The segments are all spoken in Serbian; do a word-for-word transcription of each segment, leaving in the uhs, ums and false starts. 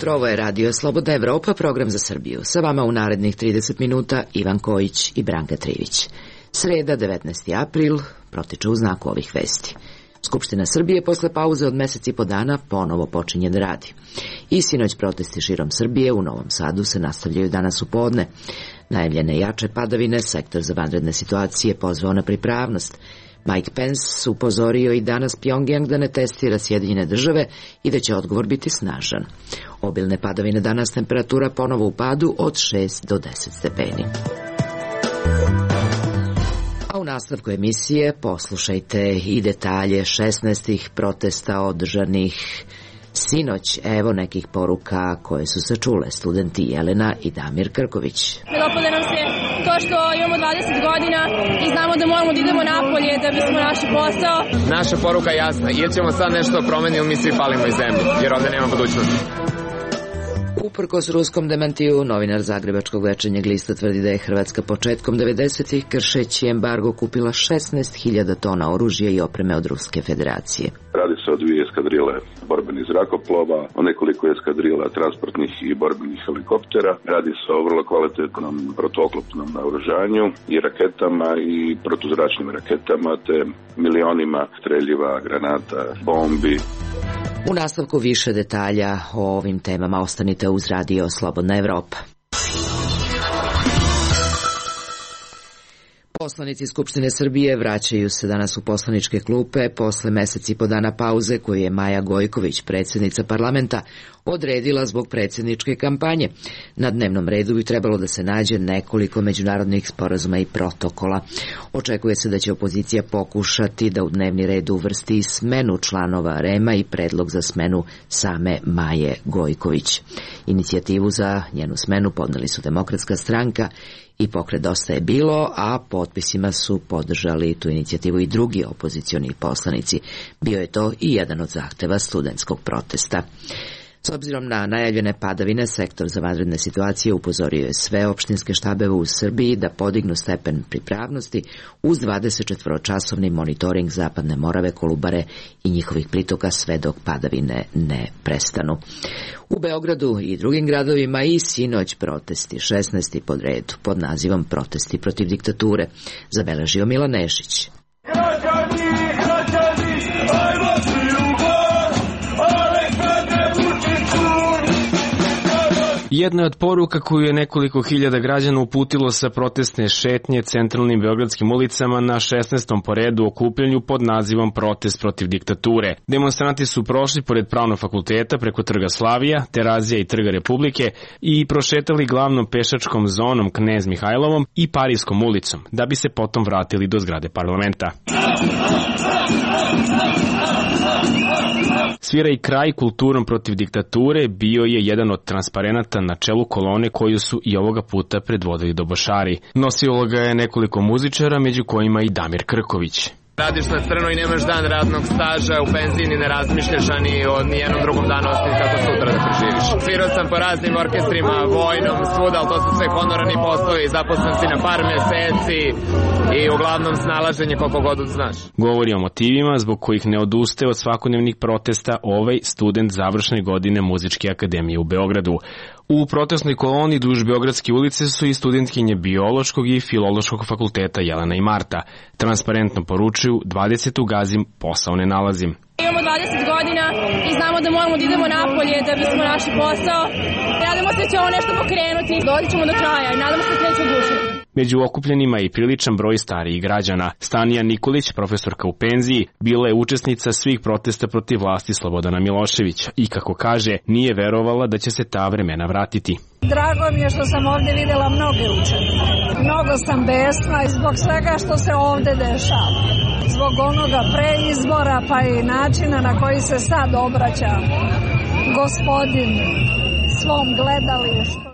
Ovo je Radio Slobodna Evropa, program za Srbiju. Sa vama u narednih trideset minuta Ivan Kojić i Branka Trivić. Sreda, devetnaesti april, protiče u znaku ovih vesti. Skupština Srbije posle pauze od meseci i po dana ponovo počinje da radi. I sinoć protesti širom Srbije u Novom Sadu se nastavljaju danas u podne. Najavljene jače padavine, sektor za vanredne situacije pozvao na pripravnost. Mike Pence upozorio i danas Pjongjang da ne testira Sjedinjene države i da će odgovor biti snažan. Obilne padavine danas, temperatura ponovo u padu od šest do deset stepeni. A u nastavku emisije poslušajte i detalje šesnaestih protesta održanih sinoć. Evo nekih poruka koje su se čule. Studenti Jelena i Damir Krković. Ne dopada nam se to što imamo dvadeset godina i znamo da moramo da idemo napolje da bismo našli posao. Naša poruka je jasna. Ili ćemo sad nešto promeniti, mi svi palimo iz zemlje, jer ovde nema budućnosti. Uprkos ruskom demantiju, novinar Zagrebačkog Večernjeg lista tvrdi da je Hrvatska početkom devedesetih kršeći embargo kupila šesnaest hiljada tona oružja i opreme od Ruske federacije. Radi se o dvije eskadrile borbenih zrakoplova, o nekoliko eskadrila transportnih i borbenih helikoptera. Radi se o vrlo kvalitetnom protuoklopnom naoružanju i raketama i protuzračnim raketama, te milionima streljiva, granata, bombi. U nastavku više detalja o ovim temama ostanite uz Radio Slobodna Evropa. Poslanici Skupštine Srbije vraćaju se danas u poslaničke klupe posle meseci i po dana pauze koju je Maja Gojković, predsjednica parlamenta, odredila zbog predsjedničke kampanje. Na dnevnom redu bi trebalo da se nađe nekoliko međunarodnih sporazuma i protokola. Očekuje se da će opozicija pokušati da u dnevni red uvrsti smenu članova R E M-a i predlog za smenu same Maje Gojković. Inicijativu za njenu smenu podneli su Demokratska stranka i Pokret Dosta je bilo, a potpisima su podržali tu inicijativu i drugi opozicioni poslanici. Bio je to i jedan od zahteva studentskog protesta. S obzirom na najavljene padavine, sektor za vanredne situacije upozorio je sve opštinske štabeve u Srbiji da podignu stepen pripravnosti uz dvadesetčetvoročasovni monitoring Zapadne Morave, Kolubare i njihovih pritoka sve dok padavine ne prestanu. U Beogradu i drugim gradovima i sinoć protesti, šesnaesti pod redu, pod nazivom Protesti protiv diktature, zabeležio Milan Nešić. Građani, građani, ajmo svi u gor, Aleksandre Vučiću. Jedna od poruka koju je nekoliko hiljada građana uputilo sa protestne šetnje centralnim beogradskim ulicama na šesnaestom po redu okupljanju pod nazivom Protest protiv diktature. Demonstranti su prošli pored Pravnog fakulteta preko Trga Slavija, Terazija i Trga Republike i prošetali glavnom pešačkom zonom Knez Mihajlovom i Parijskom ulicom, da bi se potom vratili do zgrade parlamenta. Svira i kraj kulturom protiv diktature bio je jedan od transparenata na čelu kolone koju su i ovoga puta predvodili dobošari. Nosilo ga je nekoliko muzičara, među kojima i Damir Krković. Radiš na crno i nemaš dan radnog staža, u penziji ni ne razmišljaš, a ni o nijednom drugom danu osim kako sutra da preživiš. Svirao sam po raznim orkestrima, vojnom, svuda, ali to su sve honorarni poslovi, zaposlen si na par meseci i uglavnom snalaženje koliko god znaš. Govori o motivima zbog kojih ne odustaje od svakodnevnih protesta ovaj student završne godine Muzičke akademije u Beogradu. U protestnoj koloni duž Beogradske ulice su i studentkinje Biološkog i Filološkog fakulteta Jelena i Marta. Transparentno poručuju dvadesetu gazim, posao ne nalazim. Imamo dvadeset godina i znamo da moramo da idemo napolje da bismo našli posao. Nadamo se da će ovo nešto pokrenuti. Dođi ćemo do kraja i nadamo se da neće odušiti. Među okupljenima je i priličan broj starijih građana. Stanija Nikolić, profesorka u penziji, bila je učesnica svih protesta protiv vlasti Slobodana Miloševića i, kako kaže, nije verovala da će se ta vremena vratiti. Drago mi je što sam ovde videla mnoge učenike. Mnogo sam besna i zbog svega što se ovde dešava. Zbog onoga pre izbora pa i načina na koji se sad obraća gospodin svom gledalištu.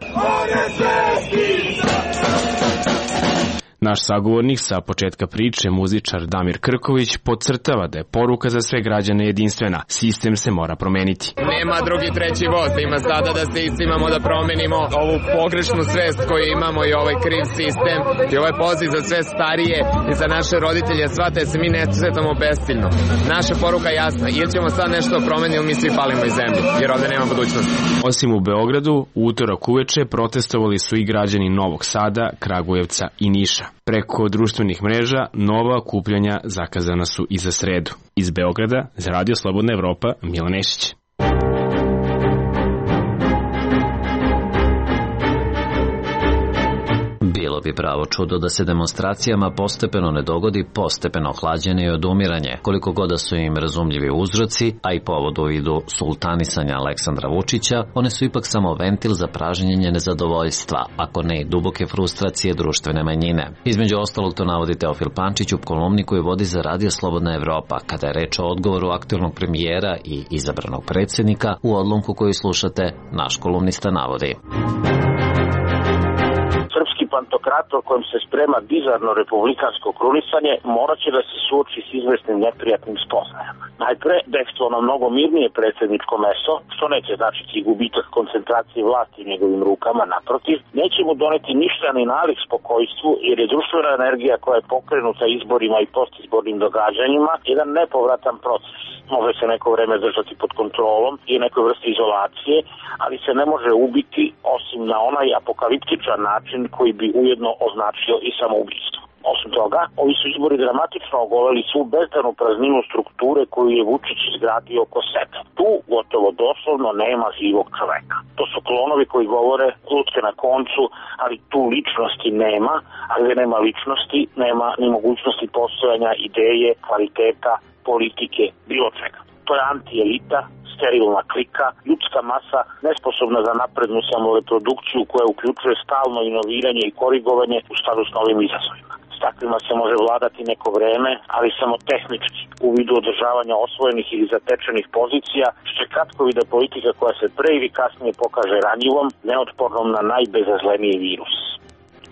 Naš sagovornik sa početka priče, muzičar Damir Krković, podcrtava da je poruka za sve građane jedinstvena. Sistem se mora promeniti. Nema drugi treći voz, ima sada da se iscimamo da promenimo ovu pogrešnu svest koju imamo i ovaj kriv sistem i ovaj poziv za sve starije i za naše roditelje, shvate se mi ne svetamo bestiljno. Naša poruka je jasna, ili ćemo sad nešto promeniti ili mi svi palimo iz zemlje, jer ovde nema budućnosti. Osim u Beogradu, u utorak uveče protestovali su i građani Novog Sada, Kragujevca i Niša. Preko društvenih mreža nova okupljanja zakazana su i za sredu. Iz Beograda, za Radio Slobodna Evropa, Milan Nešić. Bilo bi pravo čudo da se demonstracijama postepeno ne dogodi postepeno hlađenje i odumiranje, koliko god da su im razumljivi uzroci, a i povod u vidu sultanisanja Aleksandra Vučića, one su ipak samo ventil za pražnjenje nezadovoljstva, ako ne i duboke frustracije društvene manjine. Između ostalog to navodi Teofil Pančić u kolumni koju vodi za Radio Slobodna Evropa, kada je reč o odgovoru aktuelnog premijera i izabranog predsjednika. U odlomku koju slušate, naš kolumnista navodi: pantokrator kojem se sprema bizarno republikansko krunisanje morat će da se suoči s izvesnim neprijatnim spoznajama. Najpre, dejstvo na mnogo mirnije predsjedničko meso, što neće značiti gubitak koncentracije vlasti u njegovim rukama, naprotiv, neće mu doneti ništa ni nalik spokojstvu, jer je društvena energija koja je pokrenuta izborima i postizbornim događanjima jedan nepovratan proces. Može se neko vreme držati pod kontrolom i nekoj vrsti izolacije, ali se ne može ubiti osim na onaj apokaliptičan način koji bi ujedno označio i samoubistvo. Osim toga, ovi su izbori dramatično ogoleli svu bezdanu prazninu strukture koju je Vučić izgradio oko sebe. Tu gotovo doslovno nema živog čoveka. To su klonovi koji govore lutke na koncu, ali tu ličnosti nema, a gde nema ličnosti, nema ni mogućnosti postojanja ideje, kvaliteta, politike, bilo čega. To je anti-elita, sterilna klika, ljudska masa nesposobna za naprednu samoreprodukciju koja uključuje stalno inoviranje i korigovanje u skladu s novim izazovima. S takvima se može vladati neko vreme, ali samo tehnički, u vidu održavanja osvojenih ili zatečenih pozicija, što je kratkovida politika koja se pre ili kasnije pokaže ranjivom, neotpornom na najbezazleniji virus.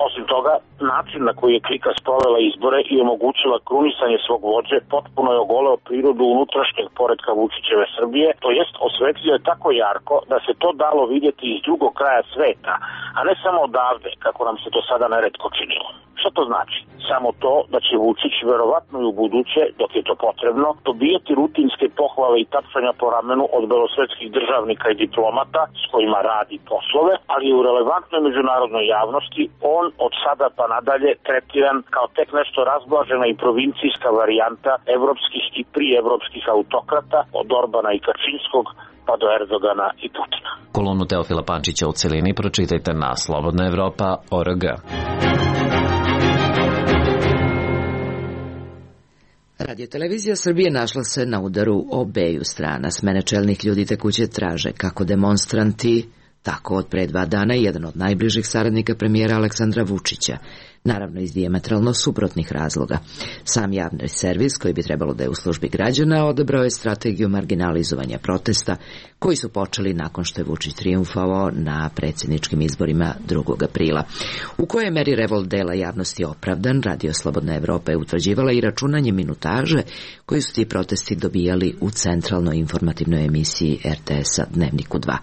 Osim toga, način na koji je klika sprovela izbore i omogućila krunisanje svog vođe potpuno je ogoleo prirodu unutrašnjeg poretka Vučićeve Srbije, to jest osvetlio je tako jarko da se to dalo vidjeti iz drugog kraja sveta, a ne samo odavde, kako nam se to sada neretko činilo. Što to znači? Samo to da će Vučić verovatno i u buduće, dok je to potrebno, dobijati rutinske pohvale i tapšanja po ramenu od belosvetskih državnika i diplomata s kojima radi poslove, ali u relevantnoj međunarodnoj javnosti on od sada pa nadalje tretiran kao tek nešto razblažena i provincijska varijanta evropskih i prievropskih autokrata od Orbana i Kačinskog pa do Erdogana i Putina. Kolumnu Teofila Pančića u celini pročitajte na Slobodna Evropa точка org. Radio-televizija Srbije našla se na udaru obeju strana. Smene čelnih ljudi tekuće traže kako demonstranti, tako od pre dva dana jedan od najbližih saradnika premijera Aleksandra Vučića, naravno iz dijametralno suprotnih razloga. Sam javni servis, koji bi trebalo da je u službi građana, odabrao je strategiju marginalizovanja protesta, koji su počeli nakon što je Vučić trijumfovao na predsjedničkim izborima drugog aprila. U kojoj meri revolt dela javnosti opravdan, Radio Slobodna Evropa je utvrđivala i računanje minutaže koji su ti protesti dobijali u centralnoj informativnoj emisiji er te es-a Dnevniku dva.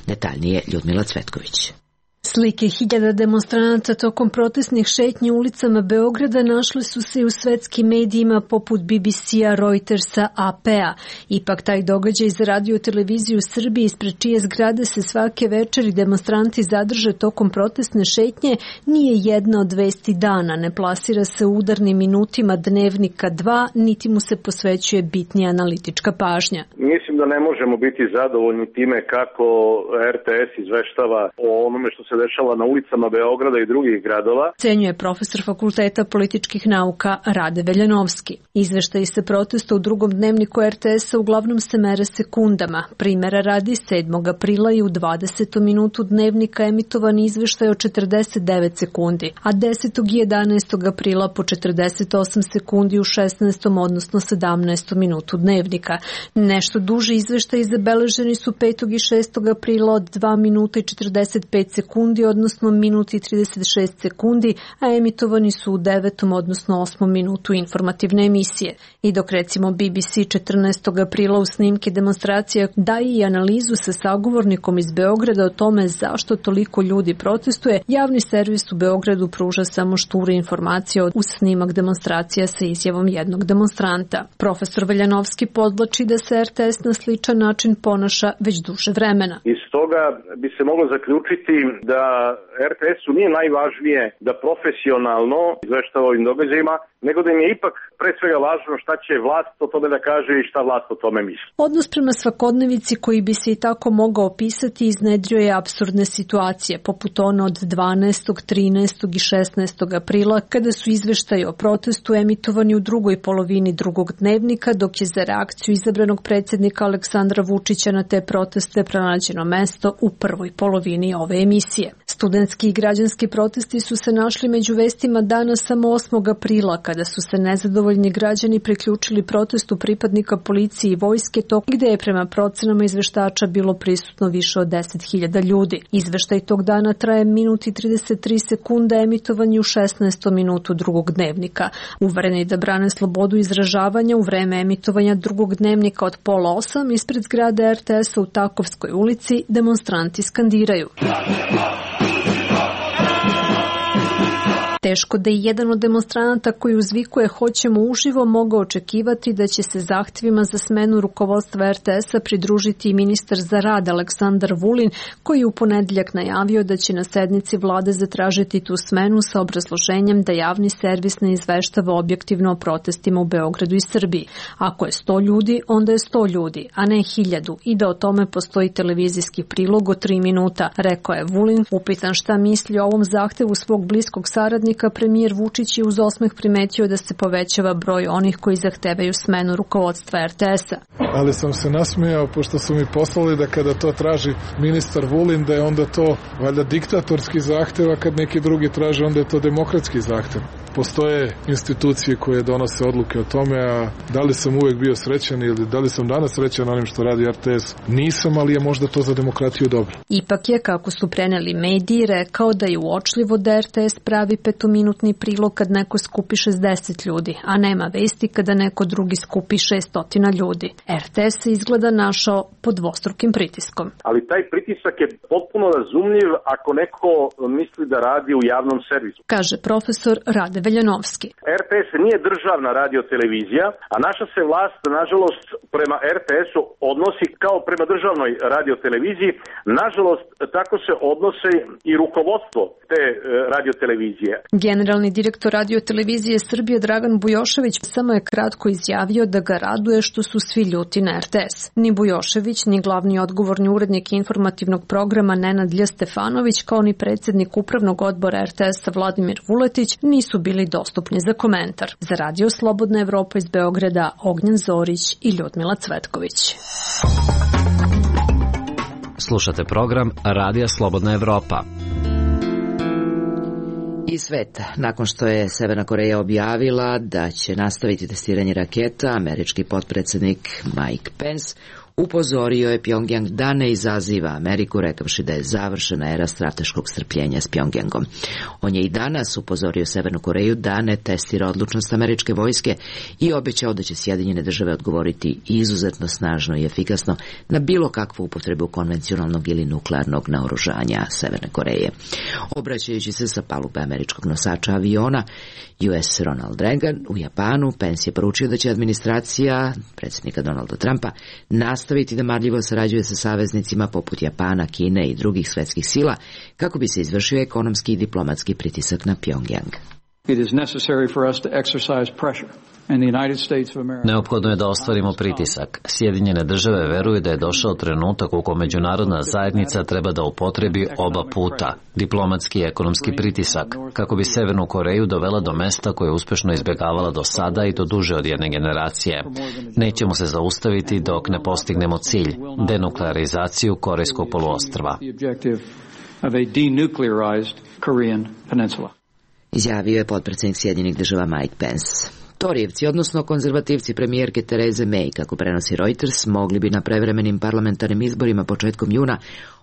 Detaljnije Ljudmila Cvetković. Slike hiljada demonstranata tokom protestnih šetnji ulicama Beograda našle su se i u svetskim medijima poput be be ce-a, Reutersa, a pe-a. Ipak taj događaj za Radio-televiziju Srbije, ispred čije zgrade se svake večeri demonstranti zadrže tokom protestne šetnje, nije jedna od vesti dana. Ne plasira se u udarnim minutima Dnevnika dva, niti mu se posvećuje bitnija analitička pažnja. Mislim da ne možemo biti zadovoljni time kako er te es izveštava o onome što se dešava na ulicama Beograda i drugih gradova. Cenjuje profesor Fakulteta političkih nauka Rade Veljanovski. Izveštaji se protesta u drugom dnevniku er te es-a uglavnom se mere sekundama. Primera radi, sedmog aprila i u dvadesetom minutu dnevnika emitovan izveštaj o četrdeset devet sekundi, a desetog i jedanaestog aprila po četrdeset osam sekundi u šesnaestom odnosno sedamnaestom minutu dnevnika. Nešto duži izveštaji zabeleženi su petog i šestog aprila od dva minuta i četrdeset pet sekundi sekundi, odnosno minut i trideset šest sekundi, a emitovani su u devetom, odnosno osmom minutu informativne emisije. I dok recimo B B C četrnaestog aprila u snimke demonstracija daje i analizu sa sagovornikom iz Beograda o tome zašto toliko ljudi protestuje, javni servis u Beogradu pruža samo šture informacije uz snimak demonstracija sa izjavom jednog demonstranta. Profesor Veljanovski podvlači da se R T S na sličan način ponaša već duže vremena. Iz toga bi se moglo zaključiti da R T S-u nije najvažnije da profesionalno izveštava ovim događajima, nego da im je ipak pre svega važno šta će vlast o tome da kaže i šta vlast o tome misli. Odnos prema svakodnevici koji bi se i tako mogao opisati iznedrio je apsurdne situacije, poput one od dvanaestog, trinaestog i šesnaestog aprila, kada su izveštaji o protestu emitovani u drugoj polovini drugog dnevnika, dok je za reakciju izabranog predsjednika Aleksandra Vučića na te proteste pronađeno mesto u prvoj polovini ove emisije. Studentski i građanski protesti su se našli među vestima dana samo osmog aprila, kada su se nezadovoljni građani priključili protestu pripadnika policije i vojske, to gde je prema procenama izveštača bilo prisutno više od deset hiljada ljudi. Izveštaj tog dana traje minut i trideset tri sekunde, emitovan je u šesnaestom minutu drugog dnevnika. Uvereni da brane slobodu izražavanja u vreme emitovanja drugog dnevnika od pola osam ispred zgrade R T S-a u Takovskoj ulici demonstranti skandiraju. Teško da i jedan od demonstranata koji uzvikuje hoćemo uživo mogao očekivati da će se zahtjevima za smenu rukovodstva R T S-a pridružiti i ministar za rad Aleksandar Vulin, koji je u ponedjeljak najavio da će na sednici vlade zatražiti tu smenu sa obrazloženjem da javni servis ne izveštava objektivno o protestima u Beogradu i Srbiji. Ako je sto ljudi, onda je sto ljudi, a ne hiljadu, i da o tome postoji televizijski prilog od tri minuta, rekao je Vulin. Upitan šta misli o ovom zahtevu svog bliskog saradnika, premijer Vučić je uz osmeh primetio da se povećava broj onih koji zahtevaju smenu rukovodstva R T S-a. Ali sam se nasmijao pošto su mi poslali da kada to traži ministar Vulin da je onda to valjda diktatorski zahtev, a kad neki drugi traže onda je to demokratski zahtev. Postoje institucije koje donose odluke o tome, a da li sam uvek bio srećan ili da li sam danas srećan onim što radi R T S, nisam, ali je možda to za demokratiju dobro. Ipak je, kako su preneli mediji, rekao da je uočljivo da R T S pravi petominutni prilog kad neko skupi šezdeset ljudi, a nema vesti kada neko drugi skupi šesnaest ljudi. R T S se izgleda našao pod dvostrukim pritiskom. Ali taj pritisak je potpuno razumljiv ako neko misli da radi u javnom servisu, kaže profesor Rade Veljanovski. R T S nije državna radiotelevizija, a naša se vlast, nažalost, prema R T S-u odnosi kao prema državnoj radioteleviziji. Nažalost, tako se odnose i rukovodstvo te radiotelevizije. Generalni direktor radiotelevizije Srbije Dragan Bujošević samo je kratko izjavio da ga raduje što su svi ljuti na R T S. Ni Bujošević, ni glavni odgovorni urednik informativnog programa Nenad Lj. Stefanović, kao ni predsjednik upravnog odbora R T S-a Vladimir Vuletić nisu bili dostupni za komentar. Za Radio Slobodna Evropa iz Beograda, Ognjen Zorić i Ljudmila Cvetković. Slušate program Radija Slobodna Evropa. I sveta. Nakon što je Severna Koreja objavila da će nastaviti testiranje raketa, američki potpredsjednik Mike Pence upozorio je Pjongjang da ne izaziva Ameriku, rekavši da je završena era strateškog strpljenja s Pjongjangom. On je i danas upozorio Severnu Koreju da ne testira odlučnost američke vojske i obećao da će Sjedinjene države odgovoriti izuzetno snažno i efikasno na bilo kakvu upotrebu konvencionalnog ili nuklearnog naoružanja Severne Koreje. Obraćajući se sa palube američkog nosača aviona U S Ronald Reagan u Japanu, Pence je poručio da će administracija predsjednika Donalda Trumpa nastaviti da marljivo sarađuje sa saveznicima poput Japana, Kine i drugih svetskih sila kako bi se izvršio ekonomski i diplomatski pritisak na Pjongjang. It is necessary for us to exercise pressure. Neophodno je da ostvarimo pritisak. Sjedinjene države veruju da je došao trenutak u kojem međunarodna zajednica treba da upotrebi oba puta, diplomatski i ekonomski pritisak, kako bi Severnu Koreju dovela do mesta koje je uspešno izbjegavala do sada i to duže od jedne generacije. Nećemo se zaustaviti dok ne postignemo cilj, denuklearizaciju Korejskog poluostrva. Izjavio je potpredsjednik Sjedinjenih država Mike Pence. Torijevci, odnosno konzervativci premijerke Tereze May, kako prenosi Reuters, mogli bi na prevremenim parlamentarnim izborima početkom juna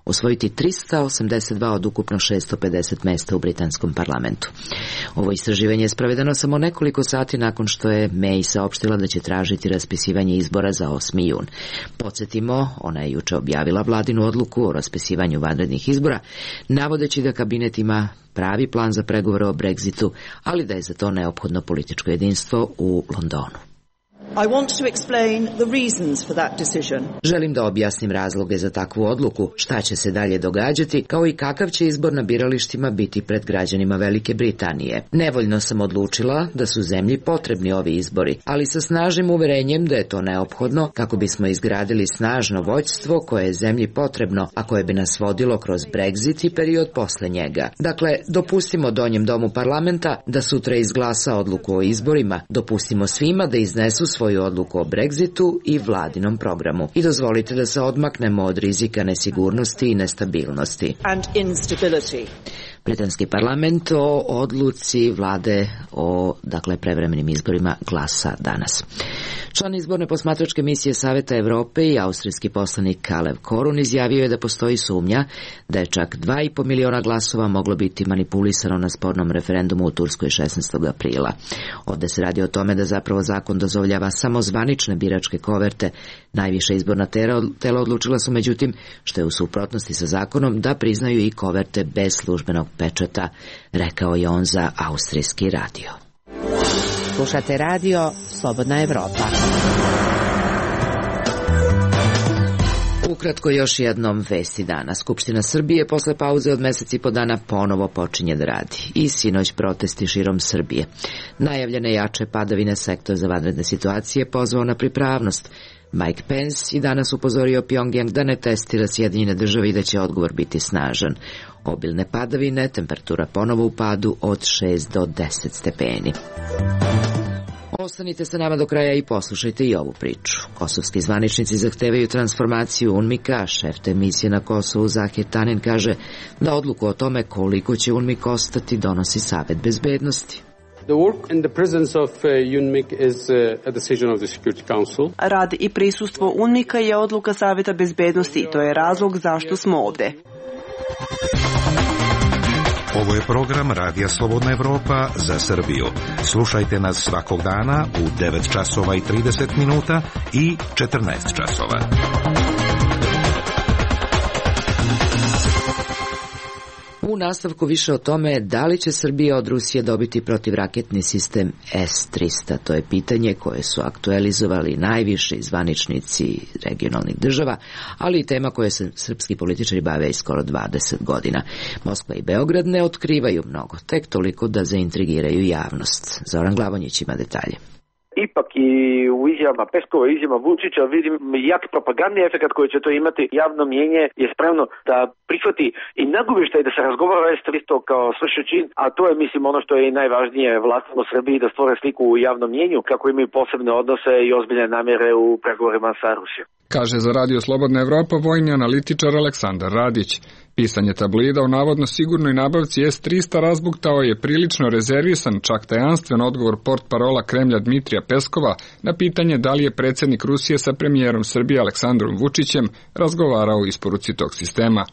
osvojiti trista osamdeset dva od ukupno šesto pedeset mesta u britanskom parlamentu. Ovo istraživanje je sprovedeno samo nekoliko sati nakon što je May saopštila da će tražiti raspisivanje izbora za osmi jun. Podsjetimo, ona je juče objavila vladinu odluku o raspisivanju vanrednih izbora, navodeći da kabinet ima pravi plan za pregovore o Brexitu, ali da je za to neophodno političko jedinstvo u Londonu. I want to explain the reasons for that decision. Želim da objasnim razloge za takvu odluku, šta će se dalje događati, kao i kakav će izbor na biralištima biti pred građanima Velike Britanije. Nevoljno sam odlučila da su zemlji potrebni ovi izbori, ali sa snažnim uverenjem da je to neophodno kako bismo izgradili snažno vođstvo koje je zemlji potrebno, a koje bi nas vodilo kroz Brexit i period posle njega. Dakle, dopustimo Donjem domu parlamenta da sutra izglasa odluku o izborima, dopustimo svima da iznesu svoju odluku o Brexitu i vladinom programu. I dozvolite da se odmaknemo od rizika nesigurnosti i nestabilnosti. And instability. Britanski parlament o odluci vlade o, dakle, prevremenim izborima glasa danas. Član izborne posmatračke misije Saveta Evrope i austrijski poslanik Kalev Korun izjavio je da postoji sumnja da je čak dva i po miliona glasova moglo biti manipulisano na spornom referendumu u Turskoj šesnaestog aprila. Ovde se radi o tome da zapravo zakon dozvoljava samo zvanične biračke koverte. Najviša izborna tela odlučila su međutim, što je u suprotnosti sa zakonom, da priznaju i koverte bez službenog pečata, rekao je on za austrijski radio. Slušate radio Slobodna Evropa. Ukratko još jednom vesti dana. Skupština Srbije posle pauze od meseci i po dana ponovo počinje da radi. I sinoć protesti širom Srbije. Najavljene jače padavine sektor za vanredne situacije pozvao na pripravnost. Mike Pence i danas upozorio Pjongjang da ne testira Sjedinjene Države i da će odgovor biti snažan. Obilne padavine, temperatura ponovo u padu od šest do deset stepeni. Ostanite sa nama do kraja i poslušajte i ovu priču. Kosovski zvaničnici zahtevaju transformaciju UNMIK-a. Šef te misije na Kosovu Zahir Tanin kaže da odluku o tome koliko će UNMIK ostati donosi Savet bezbednosti. The work in the presence of uh, UNMIK is uh, a decision of the Security Council. Rad i prisustvo UNMIK-a je odluka Saveta bezbednosti i to je razlog zašto smo ovde. Ovo je program Radija Slobodna Evropa za Srbiju. Slušajte nas svakog dana u devet časova i trideset minuta i četrnaest časova. U nastavku više o tome da li će Srbija od Rusije dobiti protivraketni sistem S trista. To je pitanje koje su aktualizovali najviši zvaničnici regionalnih država, ali i tema koje se srpski političari bave i skoro dvadeset godina. Moskva i Beograd ne otkrivaju mnogo, tek toliko da zaintrigiraju javnost. Zoran Glavonjić ima detalje. Ipak i u izjavama Peskova i izjavama Vučića vidim jak propagandni efekt koji će to imati. Javno mjenje je spremno da prihvati i nagovještaj da se razgovara o S trista kao svršen čin, a to je mislim ono što je i najvažnije vlastima u Srbiji da stvore sliku u javnom mjenju kako imaju posebne odnose i ozbiljne namjere u pregovorima sa Rusijom. Kaže za Radio Slobodna Evropa vojni analitičar Aleksandar Radić. Pisanje tablida o navodno sigurnoj nabavci S trista razbuktao je prilično rezervisan, čak tajanstven odgovor portparola Kremlja Dmitrija Peskova na pitanje da li je predsjednik Rusije sa premijerom Srbije Aleksandrom Vučićem razgovarao o isporuci tog sistema.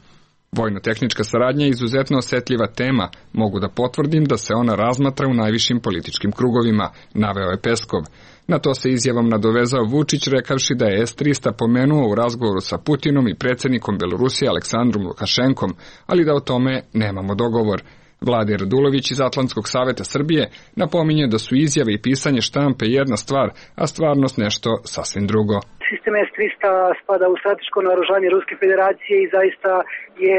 Vojno-tehnička saradnja je izuzetno osjetljiva tema, mogu da potvrdim da se ona razmatra u najvišim političkim krugovima, naveo je Peskov. Na to se izjavom nadovezao Vučić rekavši da je S trista pomenuo u razgovoru sa Putinom i predsjednikom Belorusije Aleksandrom Lukašenkom, ali da o tome nemamo dogovor. Vladimir Radulović iz Atlantskog saveta Srbije napominje da su izjave i pisanje štampe jedna stvar, a stvarnost nešto sasvim drugo. Sistem S trista spada u strateško naoružanje Ruske federacije i zaista je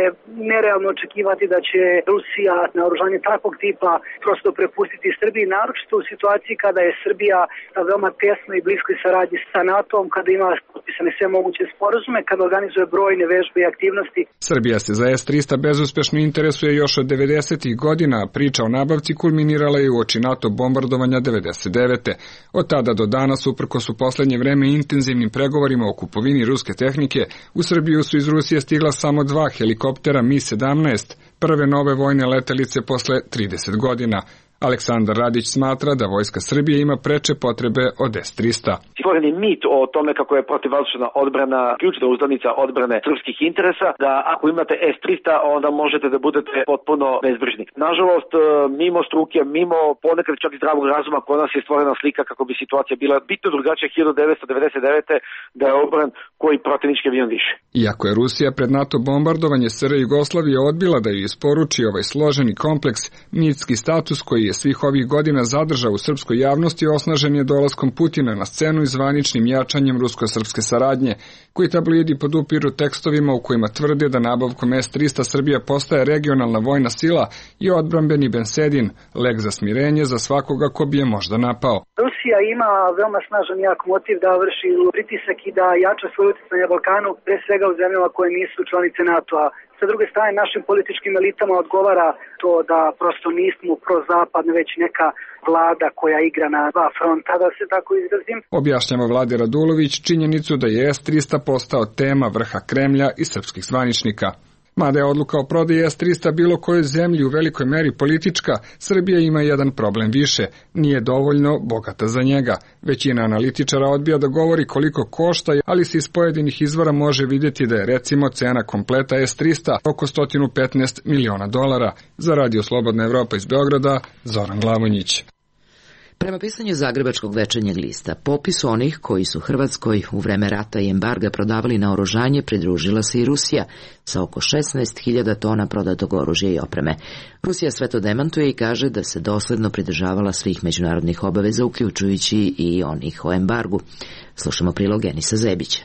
nerealno očekivati da će Rusija naoružanje takvog tipa prosto prepustiti Srbiji, naročito u situaciji kada je Srbija na veoma tesnoj i bliskoj saradnji sa NATO-om, kada ima potpisane sve moguće sporazume, kada organizuje brojne vežbe i aktivnosti. Srbija se za S trista bezuspešno interesuje još od devedesetih godina, a priča o nabavci kulminirala je uoči NATO bombardovanja devedeset devete. Od tada do danas, uprkos u poslednje vreme intenzivnim pregovorima o kupovini ruske tehnike, u Srbiju su iz Rusije stigla samo dva helikoptera Mi sedamnaest, prve nove vojne letelice posle trideset godina. Aleksandar Radić smatra da vojska Srbije ima preče potrebe od S tristo. Stvoren je mit o tome kako je protivvazdušna odbrana ključna uzdanica odbrane srpskih interesa, da ako imate S tristo onda možete da budete potpuno bezbrižni. Nažalost, mimo struke, mimo ponekad čak i zdravog razuma, kod nas je stvorena slika kako bi situacija bila bitno drugačija hiljadu devetsto devedeset devete. da je obran koji protivnički avion više. Iako je Rusija pred NATO bombardovanje S R Jugoslavije odbila da ju isporuči ovaj složeni kompleks, mitski status koji je svih ovih godina zadržao u srpskoj javnosti osnažen je dolaskom Putina na scenu i zvaničnim jačanjem rusko-srpske saradnje, koji tablidi podupiru tekstovima u kojima tvrde da nabavkom S tristo Srbija postaje regionalna vojna sila i odbrambeni bensedin, lek za smirenje za svakoga ko bi je možda napao. Rusija ima veoma snažan jak motiv da vrši pritisak i da jača svoje utjecaj na Balkanu, pre svega u zemljama koje nisu članice NATO-a. Sa druge strane, našim političkim elitama odgovara to da prosto nismo prozapadne, već neka vlada koja igra na dva fronta, da se tako izrazim. Objašnjava Vlade Radulović činjenicu da je S tristo postao tema vrha Kremlja i srpskih zvaničnika. Mada je odluka o prodaji S tristo bilo kojoj zemlji u velikoj meri politička, Srbija ima jedan problem više, nije dovoljno bogata za njega. Većina analitičara odbija da govori koliko košta, ali se iz pojedinih izvora može vidjeti da je recimo cena kompleta S tristo oko sto petnaest miliona dolara. Za Radio Slobodna Evropa iz Beograda, Zoran Glavonjić. Prema pisanju Zagrebačkog večernjeg lista, popisu onih koji su Hrvatskoj u vreme rata i embarga prodavali naoružanje pridružila se i Rusija sa oko šesnaest hiljada tona prodatog oružja i opreme. Rusija sve to demantuje i kaže da se dosledno pridržavala svih međunarodnih obaveza, uključujući i onih o embargu. Slušamo prilog Enisa Zebića.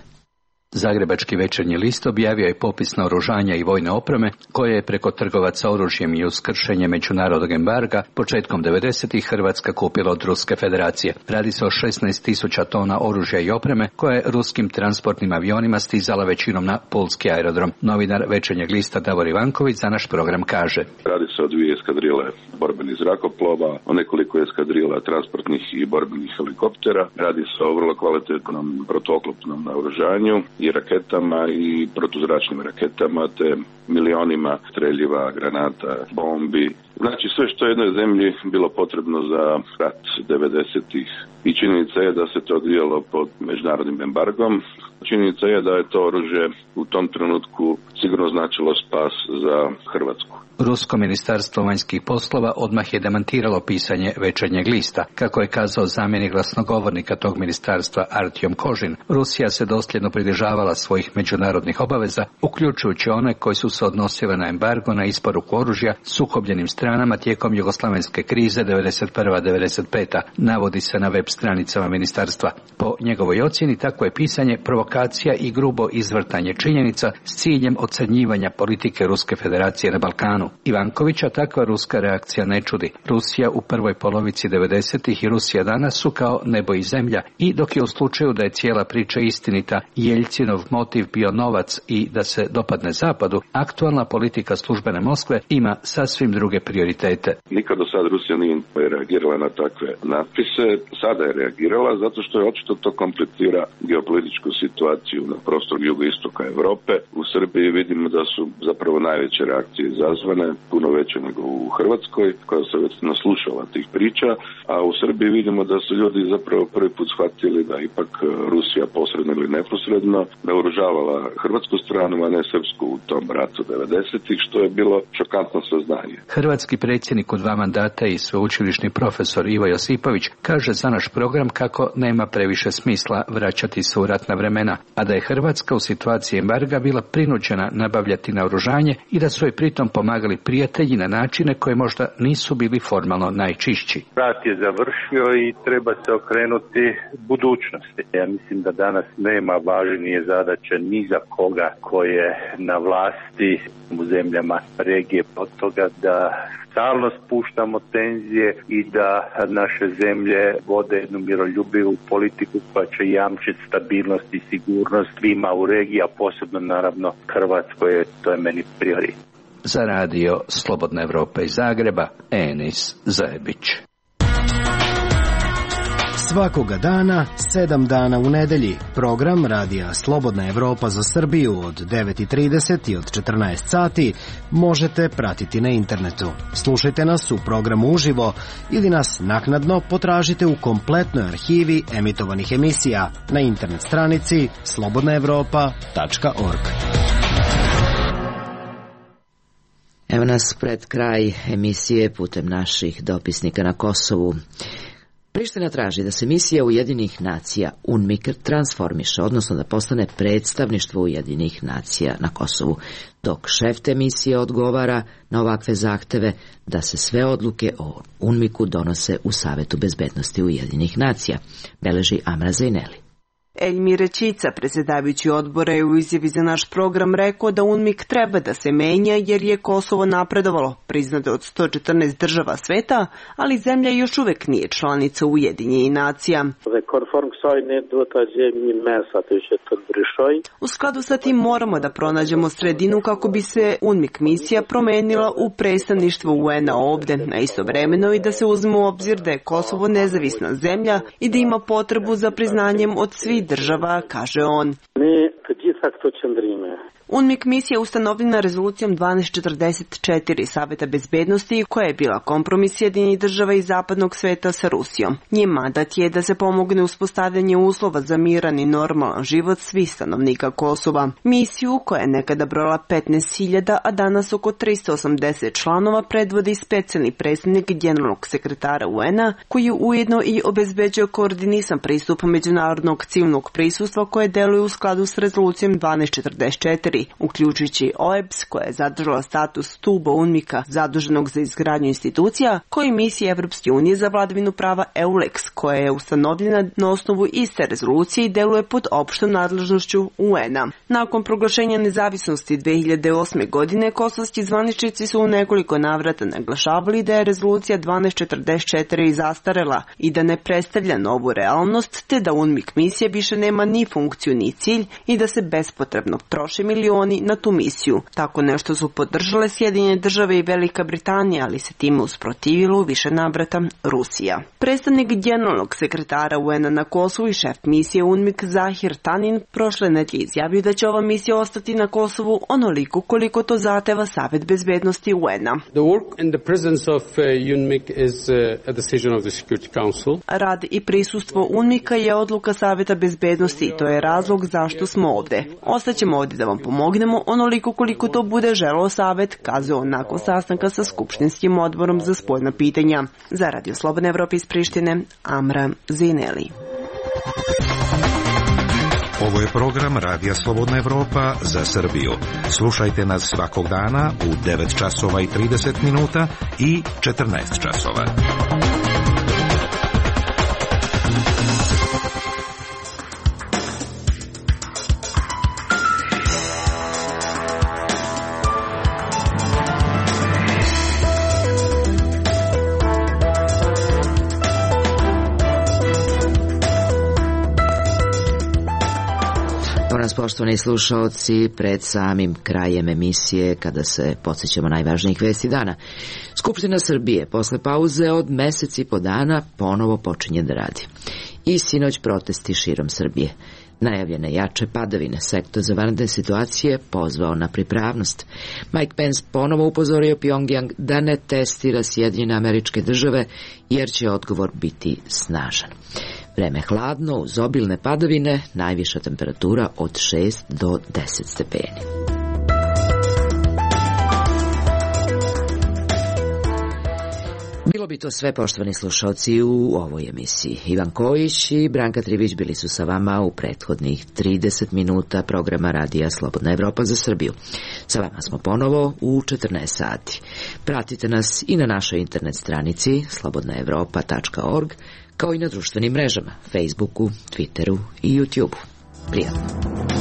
Zagrebački večernji list objavio je popis naoružanja i vojne opreme koje je preko trgovaca oružjem i uz kršenje međunarodnog embarga početkom devedesetih Hrvatska kupila od Ruske federacije. Radi se o šesnaest tisuća tona oružja i opreme koje je ruskim transportnim avionima stizala većinom na pulski aerodrom. Novinar večernjeg lista Davor Ivanković za naš program kaže: Radi se o dvije eskadrile borbenih zrakoplova, o nekoliko eskadrila transportnih i borbenih helikoptera. Radi se o vrlo kvalitetnom protuoklopnom naoružanju i raketama i protuzračnim raketama, te milionima streljiva, granata, bombi. Znači sve što je jednoj zemlji bilo potrebno za rat devedesetih. I činjenica je da se to odvijalo pod međunarodnim embargom. Činjenica je da je to oružje u tom trenutku sigurno značilo spas za Hrvatsku. Rusko ministarstvo vanjskih poslova odmah je demantiralo pisanje večernjeg lista. Kako je kazao zamjenik glasnogovornika tog ministarstva Artjom Kožin, Rusija se dosljedno pridržavala svojih međunarodnih obaveza, uključujući one koji su se odnosile na embargo na isporuku oružja sukobljenim stranama tijekom jugoslavenske krize devedeset prva devedeset peta, navodi se na web stranicama ministarstva. Po njegovoj ocjeni tako je pisanje provokacija i grubo izvrtanje činjenica s ciljem ocrnjivanja politike Ruske federacije na Balkanu. Ivankovića takva ruska reakcija ne čudi. Rusija u prvoj polovici devedesetih i Rusija danas su kao nebo i zemlja, i dok je u slučaju da je cijela priča istinita Jeljcinov motiv bio novac i da se dopadne zapadu, aktualna politika službene Moskve ima sasvim druge prioritete. Nikad do sad Rusija nije reagirala na takve natpise, sada je reagirala zato što je očito to komplicira geopolitičku situaciju na prostoru jugoistoka Europe. U Srbiji vidimo da su zapravo najveće reakcije izazvane, puno veće nego u Hrvatskoj, koja se već naslušala tih priča, a u Srbiji vidimo da su ljudi zapravo prvi put shvatili da ipak Rusija posredno ili neposredno naoružavala hrvatsku stranu, a ne srpsku u tom ratu devedesetih, što je bilo šokantno saznanje. Hrvatski predsjednik u dva mandata i sveučilišni profesor Ivo Josipović kaže za naš program kako nema previše smisla vraćati se u ratna vremena, a da je Hrvatska u situaciji embarga bila prinuđena nabavljati naoružanje i da su joj pritom pomagali prijatelji na načine koje možda nisu bili formalno najčišći. Rat je završio i treba se okrenuti budućnosti. Ja mislim da danas nema važnije zadaće ni za koga ko je na vlasti u zemljama regije od toga da stalno spuštamo tenzije i da naše zemlje vode jednu miroljubivu politiku koja će jamčiti stabilnost i sigurnost svima u regiji, a posebno naravno Hrvatskoj, to je meni prioritet. Za radio Slobodna Evropa iz Zagreba, Enis Zajebić. Svakoga dana, sedam dana u nedelji, program Radija Slobodna Evropa za Srbiju od devet i trideset i od četrnaest sati možete pratiti na internetu. Slušajte nas u programu uživo ili nas naknadno potražite u kompletnoj arhivi emitovanih emisija na internet stranici slobodna evropa tačka org. Evo nas pred kraj emisije putem naših dopisnika na Kosovu. Priština traži da se misija Ujedinjenih nacija UNMIK transformiše, odnosno da postane predstavništvo Ujedinjenih nacija na Kosovu, dok šef te misije odgovara na ovakve zahteve da se sve odluke o UNMIK-u donose u Savetu bezbednosti Ujedinjenih nacija, beleži Amra Zajneli. Eljmir Čica, predsjedavajući odbora, je u izjavi za naš program rekao da UNMIK treba da se menja jer je Kosovo napredovalo, priznato od sto četrnaest država sveta, ali zemlja još uvek nije članica Ujedinjenih nacija. U skladu sa tim moramo da pronađemo sredinu kako bi se UNMIK misija promenila u predstavništvo U N-a ovde, na istovremeno i da se uzme u obzir da je Kosovo nezavisna zemlja i da ima potrebu za priznanjem od svih država, kaže on. UNMIK misija je ustanovljena rezolucijom dvanaest četrdeset četiri Saveta bezbednosti, koja je bila kompromis Sjedinjenih država i zapadnog sveta sa Rusijom. Njen mandat je da se pomogne uspostavljanje uslova za miran i normalan život svih stanovnika Kosova. Misiju, koja je nekada brojala petnaest hiljada, a danas oko tristo osamdeset članova, predvodi specijalni predstavnik generalnog sekretara U N-a, koji ujedno i obezbeđuje koordinisan pristup međunarodnog civilnog prisustva koje deluje u skladu s rezolucijom dvanaest četrdeset četiri. Uključujući O E B S, koja je zadržala status stuba UNMIK-a zaduženog za izgradnju institucija, koji misija Evropske unije za vladavinu prava E U L E X, koja je ustanovljena na osnovu iste rezolucije i deluje pod opštom nadležnošću U N-a. Nakon proglašenja nezavisnosti dve hiljade osme. godine, kosovski zvaničnici su u nekoliko navrata naglašavali da je rezolucija dvanaest četrdeset četiri zastarela i da ne predstavlja novu realnost, te da UNMIK misija više nema ni funkciju ni cilj i da se bespotrebno troše milioni na tu misiju. Tako nešto su podržale Sjedinjene države i Velika Britanija, ali se time usprotivilo u više navrata Rusija. Predstavnik generalnog sekretara U N-a na Kosovu i šef misije UNMIK Zahir Tanin prošle nedelje izjavio da će ova misija ostati na Kosovu onoliko koliko to zahteva Savet bezbednosti U N-a. The work and the presence of uh, UNMIK is uh, a decision of the Security Council. Rad i prisustvo UNMIK-a je odluka Saveta bezbednosti i to je razlog zašto smo ovde. Ostaćemo ovde da vam pomognemo onoliko koliko to bude želeo Savet, kazao nakon sastanka sa Skupštinskim odborom za spoljna pitanja. Za Radio Slobodne Evrope iz Prištine, Amra Zineli. Ovo je program Radija Slobodna Evropa za Srbiju. Slušajte nas svakog dana u devet časova i trideset minuta i četrnaest časova. Poštovani slušaoci, pred samim krajem emisije, kada se podsjećamo najvažnijih vesti dana, Skupština Srbije posle pauze od mesec i po dana ponovo počinje da radi. I sinoć protesti širom Srbije. Najavljene jače padavine, sektor za vanredne situacije pozvao na pripravnost. Mike Pence ponovo upozorio Pjongjang da ne testira Sjedinjene Američke Države, jer će odgovor biti snažan. Vreme hladno, uz obilne padavine, najviša temperatura od šest do deset stepeni. Bilo bi to sve, poštovani slušalci, u ovoj emisiji. Ivan Kojić i Branka Trivić bili su sa vama u prethodnih trideset minuta programa Radija Slobodna Evropa za Srbiju. Sa vama smo ponovo u četrnaest sati. Pratite nas i na našoj internet stranici slobodna evropa tačka org, kao i na društvenim mrežama, Facebooku, Twitteru i YouTubeu. Prijatno.